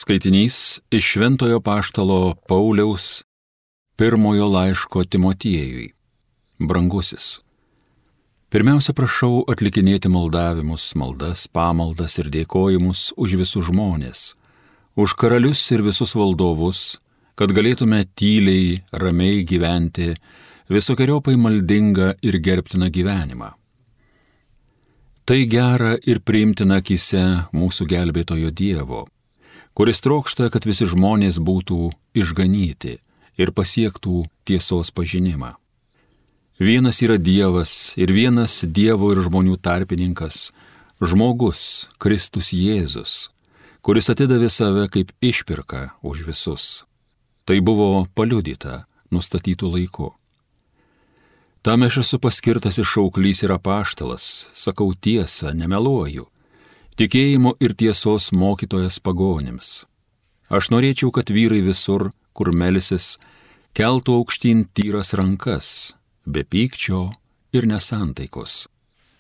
Skaitinys iš Šventojo Apaštalo Pauliaus pirmojo laiško Timotiejui. Brangusis. Pirmiausia, prašau atlikinėti maldavimus, maldas, pamaldas ir dėkojimus už visus žmonės, už karalius ir visus valdovus, kad galėtume tyliai, ramiai gyventi visokiojopai maldingą ir gerbtiną gyvenimą. Tai gera ir priimtina akyse mūsų gelbėtojo Dievo, kuris trokšta, kad visi žmonės būtų išganyti ir pasiektų tiesos pažinimą. Vienas yra Dievas ir vienas Dievo ir žmonių tarpininkas, žmogus, Kristus Jėzus, kuris atidavė save kaip išpirką už visus. Tai buvo paliudyta nustatytų laiku. Tam aš esu paskirtas šauklys ir apaštalas, sakau tiesą, nemeluoju, tikėjimo ir tiesos mokytojas pagonims. Aš norėčiau, kad vyrai visur, kur melsis, keltų aukštyn tyras rankas, be pykčio ir nesantaikos.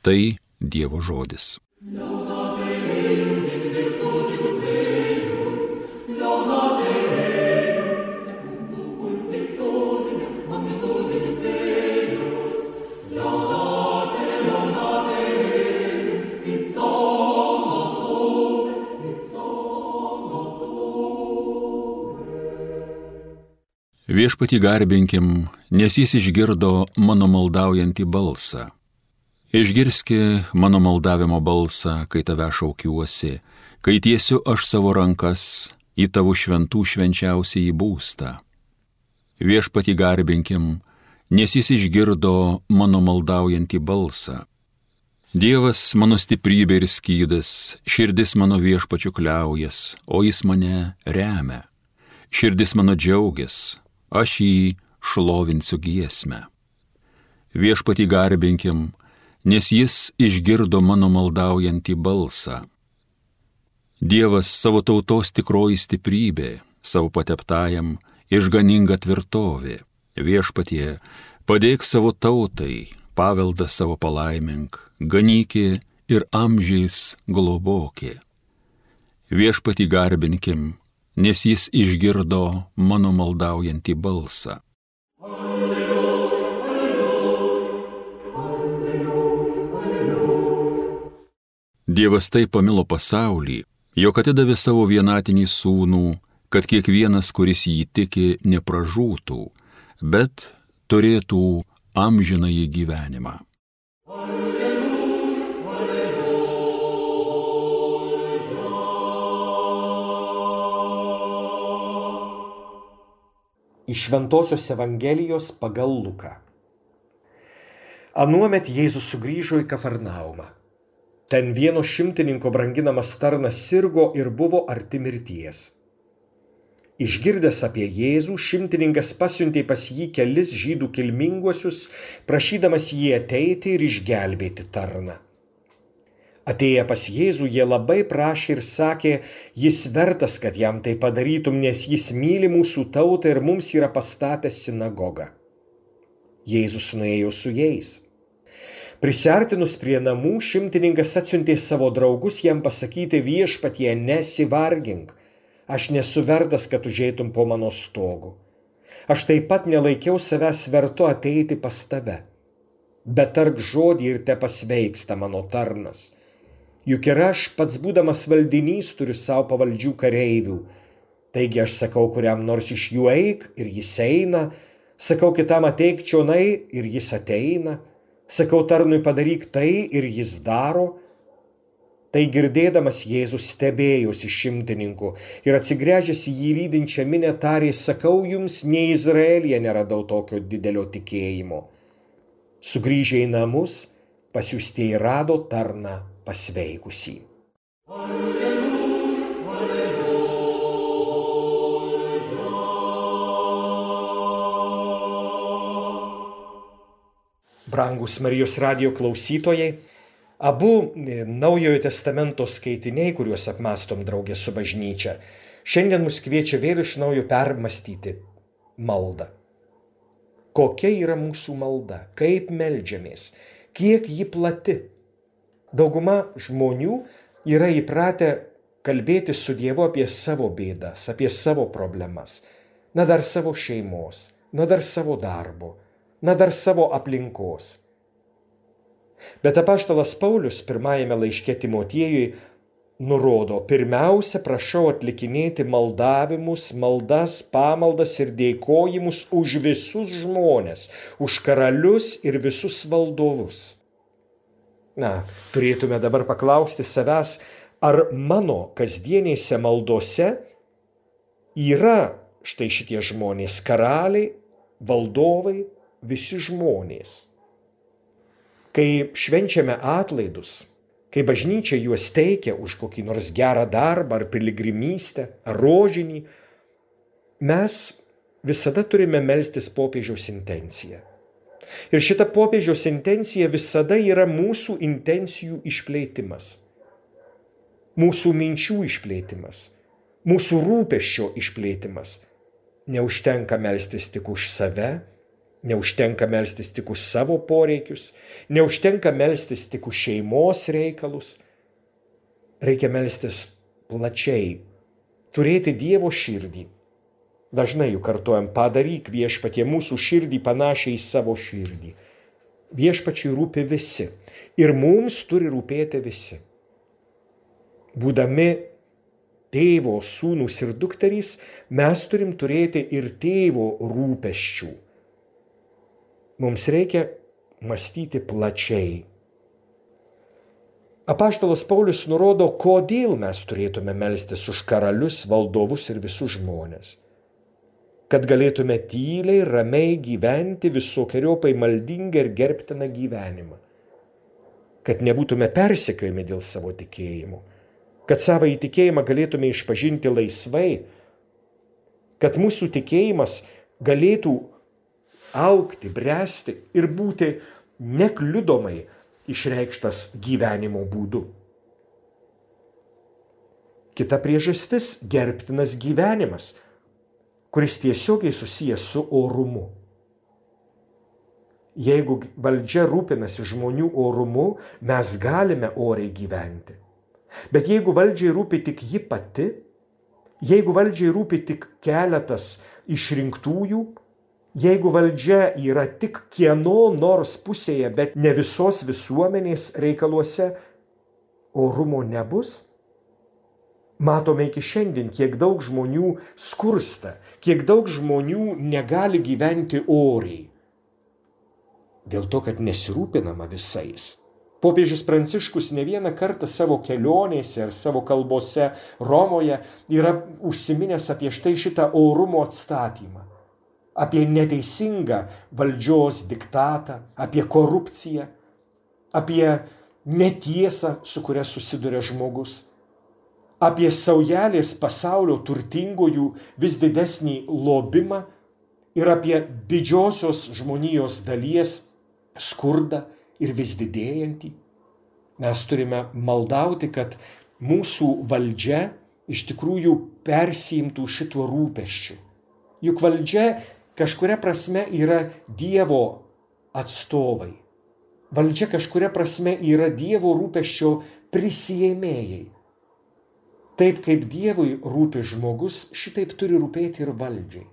Tai Dievo žodis. Viešpatį garbinkim, nes jis išgirdo mano maldaujantį balsą. Išgirski mano maldavimo balsą, kai tave šaukiuosi, kai tiesiu aš savo rankas į tavo šventų švenčiausiąjį būstą. Viešpatį garbinkim, nes jis išgirdo mano maldaujantį balsą. Dievas mano stiprybė ir skydas, širdis mano viešpačiu kliaujas, o jis mane remia. Širdis mano džiaugias, aš jį šlovinsiu giesmę. Viešpatį garbinkim, nes jis išgirdo mano maldaujantį balsą. Dievas savo tautos tikroji stiprybė, savo pateptajam išganinga tvirtovė. Viešpatie, padėk savo tautai, paveldą savo palaimink, ganykė ir amžiais globokė. Viešpatį garbinkim, nes jis išgirdo mano maldaujantį balsą. Alleluja, alleluja, alleluja. Dievas taip pamilo pasaulį, jog atidavė savo vienatinį sūnų, kad kiekvienas, kuris jį tiki, nepražūtų, bet turėtų amžinąjį gyvenimą. Iš Šventosios Evangelijos pagal Luką. Anuomet Jėzus sugrįžo į Kafarnaumą. Ten vieno šimtininko branginamas tarnas sirgo ir buvo arti mirties. Išgirdęs apie Jėzų, šimtininkas pasiuntė pas jį kelis žydų kilminguosius, prašydamas jį ateiti ir išgelbėti tarną. Atėję pas Jėzų, jie labai prašė ir sakė, jis vertas, kad jam tai padarytum, nes jis myli mūsų tautą ir mums yra pastatęs sinagogą. Jėzus nuėjo su jais. Prisiartinus prie namų, šimtininkas atsiuntė savo draugus jam pasakyti, viešpatie, nesivargink, aš nesu vertas, kad užeitum po mano stogu. Aš taip pat nelaikiau savęs vertu ateiti pas tave. Bet tark žodį ir tepasveiksta mano tarnas. Juk ir aš pats būdamas valdinys turiu savo pavaldžių kareivių. Taigi aš sakau kuriam nors iš jų eik ir jis eina, sakau kitam ateik čionai ir jis ateina, sakau tarnui padaryk tai ir jis daro. Tai girdėdamas Jėzus stebėjosi šimtininku ir atsigręžęs į jį lydinčią minią tarė, sakau jums, nei Izraelyje neradau tokio didelio tikėjimo. Sugrįžę į namus, pasiųstieji rado tarną pasveikusį. Alleluja, alleluja. Brangūs Marijos radijo klausytojai, abu Naujojo testamento skaitiniai, kuriuos apmąstom drauge su bažnyčia, šiandien mus kviečia vėl iš naujo permąstyti maldą. Kokia yra mūsų malda, kaip meldžiamės, kiek ji plati. Dauguma žmonių yra įpratę kalbėti su Dievu apie savo bėdas, apie savo problemas, na dar savo šeimos, na dar savo darbo, na dar savo aplinkos. Bet apaštalas Paulius pirmajame laiške Timotiejui nurodo, pirmiausia, prašau atlikinėti maldavimus, maldas, pamaldas ir dėkojimus už visus žmones, už karalius ir visus valdovus. Na, turėtume dabar paklausti savęs, ar mano kasdienėse maldose yra štai šitie žmonės, karaliai, valdovai, visi žmonės. Kai švenčiame atlaidus, kai bažnyčia juos teikia už kokį nors gerą darbą ar piligrimystę, ar rožinį, mes visada turime melstis popiežiaus intenciją. Ir šita popiežiaus intencija visada yra mūsų intencijų išplėtimas, mūsų minčių išplėtimas, mūsų rūpesčio išplėtimas. Neužtenka melstis tik už save, neužtenka melstis tik už savo poreikius, neužtenka melstis tik už šeimos reikalus. Reikia melstis plačiai, turėti Dievo širdį. Dažnai juk kartuojam, padaryk viešpatie mūsų širdį panašiai į savo širdį. Viešpačiui rūpi visi ir mums turi rūpėti visi. Būdami tėvo, sūnūs ir dukterys, mes turim turėti ir tėvo rūpesčių. Mums reikia mąstyti plačiai. Apaštalas Paulius nurodo, kodėl mes turėtume melstis už karalius, valdovus ir visus žmonės. Kad galėtume tyliai, ramiai gyventi visokiojopai maldingą ir gerbtiną gyvenimą. Kad nebūtume persekiojami dėl savo tikėjimo. Kad savo įtikėjimą galėtume išpažinti laisvai. Kad mūsų tikėjimas galėtų augti, bręsti ir būti nekliudomai išreikštas gyvenimo būdu. Kita priežastis – gerbtinas gyvenimas, kuris tiesiogiai susijęs su orumu. Jeigu valdžia rūpinasi žmonių orumu, mes galime oriai gyventi. Bet jeigu valdžiai rūpi tik ji pati, jeigu valdžiai rūpi tik keletas išrinktųjų, jeigu valdžia yra tik kieno nors pusėje, bet ne visos visuomenės reikaluose, orumo nebus. Matome iki šiandien, kiek daug žmonių skursta, kiek daug žmonių negali gyventi oriai. Dėl to, kad nesirūpinama visais. Popiežius Pranciškus ne vieną kartą savo kelionėse ar savo kalbose Romoje yra užsiminęs apie štai šitą orumo atstatymą. Apie neteisingą valdžios diktatą, apie korupciją, apie netiesą, su kuria susiduria žmogus, apie saujelės pasaulio turtingųjų vis didesnį lobimą ir apie didžiosios žmonijos dalies skurdą ir vis didėjantį. Mes turime maldauti, kad mūsų valdžia iš tikrųjų persiimtų šituo rūpesčiu. Juk valdžia kažkuria prasme yra Dievo atstovai. Valdžia kažkuria prasme yra Dievo rūpesčio prisiėmėjai. Taip kaip Dievui rūpi žmogus, šitaip turi rūpėti ir valdžiai.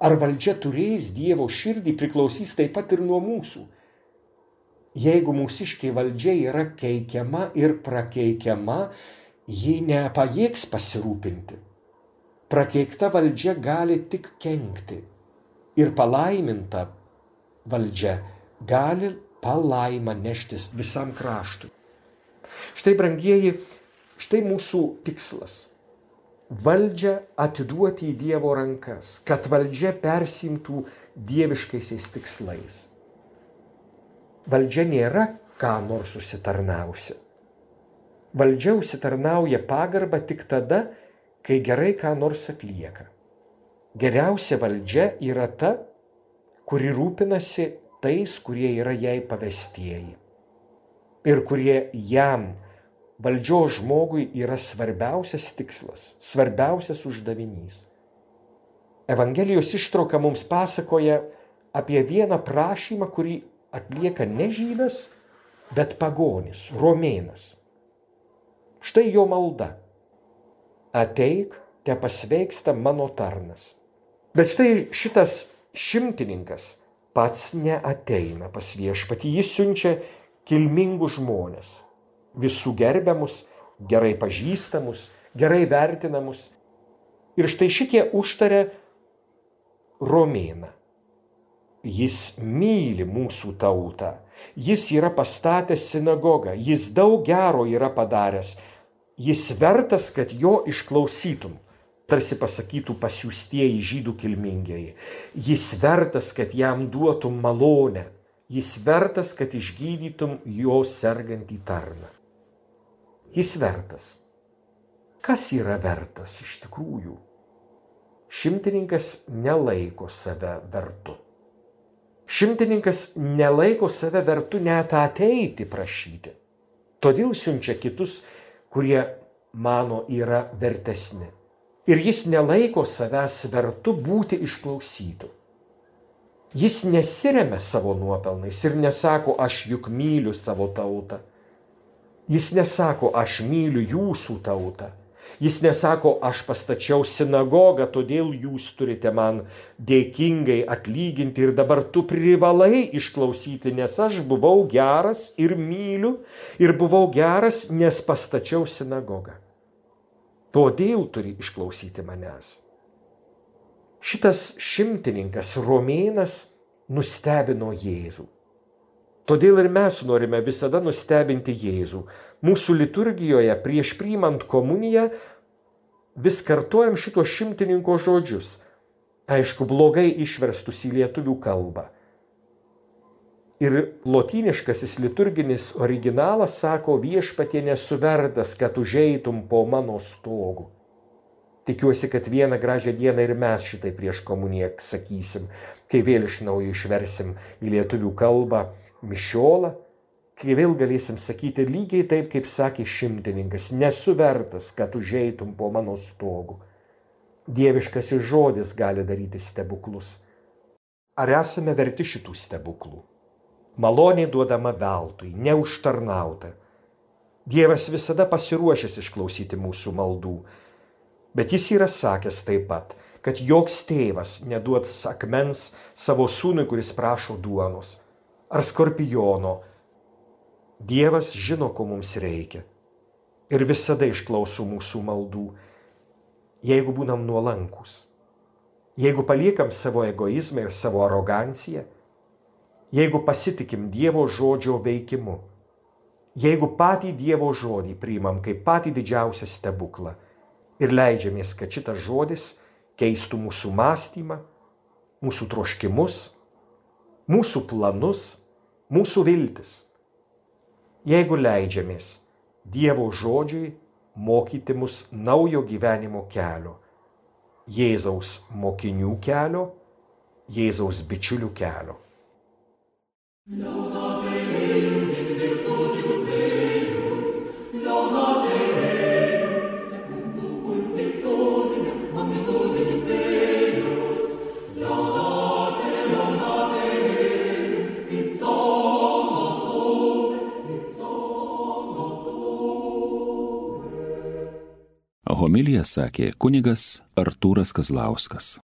Ar valdžia turės Dievo širdį, priklausys taip pat ir nuo mūsų. Jeigu mūsiškiai valdžia yra keikiama ir prakeikiama, ji nepajėgs pasirūpinti. Prakeikta valdžia gali tik kenkti. Ir palaiminta valdžia gali palaimą neštis visam kraštui. Štai, brangieji, štai mūsų tikslas. Valdžią atiduoti į Dievo rankas, kad valdžia persimtų dieviškaisiais tikslais. Valdžia nėra ką nors užsitarnausi. Valdžia užsitarnauja pagarbą tik tada, kai gerai ką nors atlieka. Geriausia valdžia yra ta, kuri rūpinasi tais, kurie yra jai pavestieji ir kurie jam, valdžios žmogui, yra svarbiausias tikslas, svarbiausias uždavinys. Evangelijos ištrauka mums pasakoja apie vieną prašymą, kurį atlieka ne žydas, bet pagonis, romėnas. Štai jo malda. ateik, te pasveiksta mano tarnas. Bet štai šitas šimtininkas pats neateina pas viešpatį, jis siunčia kilmingus žmones, visų gerbiamus, gerai pažįstamus, gerai vertinamus. Ir štai šitie užtaria romėną. Jis myli mūsų tautą, jis yra pastatęs sinagogą, jis daug gero yra padaręs, jis vertas, kad jo išklausytum. Tarsi pasakytų pasiųstieji žydų kilmingieji. Jis vertas, kad jam duotum malonę. Jis vertas, kad išgydytum jo sergantį tarną. Jis vertas. Kas yra vertas iš tikrųjų? Šimtininkas nelaiko save vertu. Šimtininkas nelaiko save vertu net ateiti prašyti. Todėl siunčia kitus, kurie mano yra vertesni. Ir jis nelaiko savęs vertu būti išklausytu. Jis nesiremia savo nuopelnais ir nesako, aš juk myliu savo tautą. Jis nesako, aš myliu jūsų tautą. Jis nesako, aš pastačiau sinagogą, todėl jūs turite man dėkingai atlyginti ir dabar tu privalai išklausyti, nes aš buvau geras ir myliu ir buvau geras, nes pastačiau sinagogą. Todėl turi išklausyti manęs. Šitas šimtininkas romėnas nustebino Jėzų. Todėl ir mes norime visada nustebinti Jėzų. Mūsų liturgijoje prieš priimant komuniją vis kartojam šito šimtininko žodžius. Aišku, blogai išverstus į lietuvių kalbą. Ir lotyniškasis liturginis originalas sako, viešpatie nesu vertas, kad užeitum po mano stogu. Tikiuosi, kad vieną gražią dieną ir mes šitai prieš komuniją sakysim, kai vėl iš naujo išversim į lietuvių kalbą mišiolą, kai vėl galėsim sakyti lygiai taip, kaip sakė šimtininkas, nesu vertas, kad užeitum po mano stogu. Dieviškasis žodis gali daryti stebuklus. Ar esame verti šitų stebuklų? Malonė duodama veltui, neužtarnauta. Dievas visada pasiruošęs išklausyti mūsų maldų, bet jis yra sakęs taip pat, kad joks tėvas neduods akmens savo sūnui, kuris prašo duonos, ar skorpiono. Dievas žino, ko mums reikia ir visada išklauso mūsų maldų, jeigu būnam nuolankus, jeigu paliekam savo egoizmą ir savo aroganciją, jeigu pasitikim Dievo žodžio veikimu, jeigu patį Dievo žodį priimam kaip patį didžiausią stebuklą ir leidžiamės, kad šitas žodis keistų mūsų mąstymą, mūsų troškimus, mūsų planus, mūsų viltis. Jeigu leidžiamės Dievo žodžiui mokyti mus naujo gyvenimo kelio, Jėzaus mokinių kelio, Jėzaus bičiulių kelio. Laudate Deum in virtutibus eius, laudate Deum secundum multitudinem magnitudinis eius, laudate Deum in somno Homiliją sakė kunigas Artūras Kazlauskas.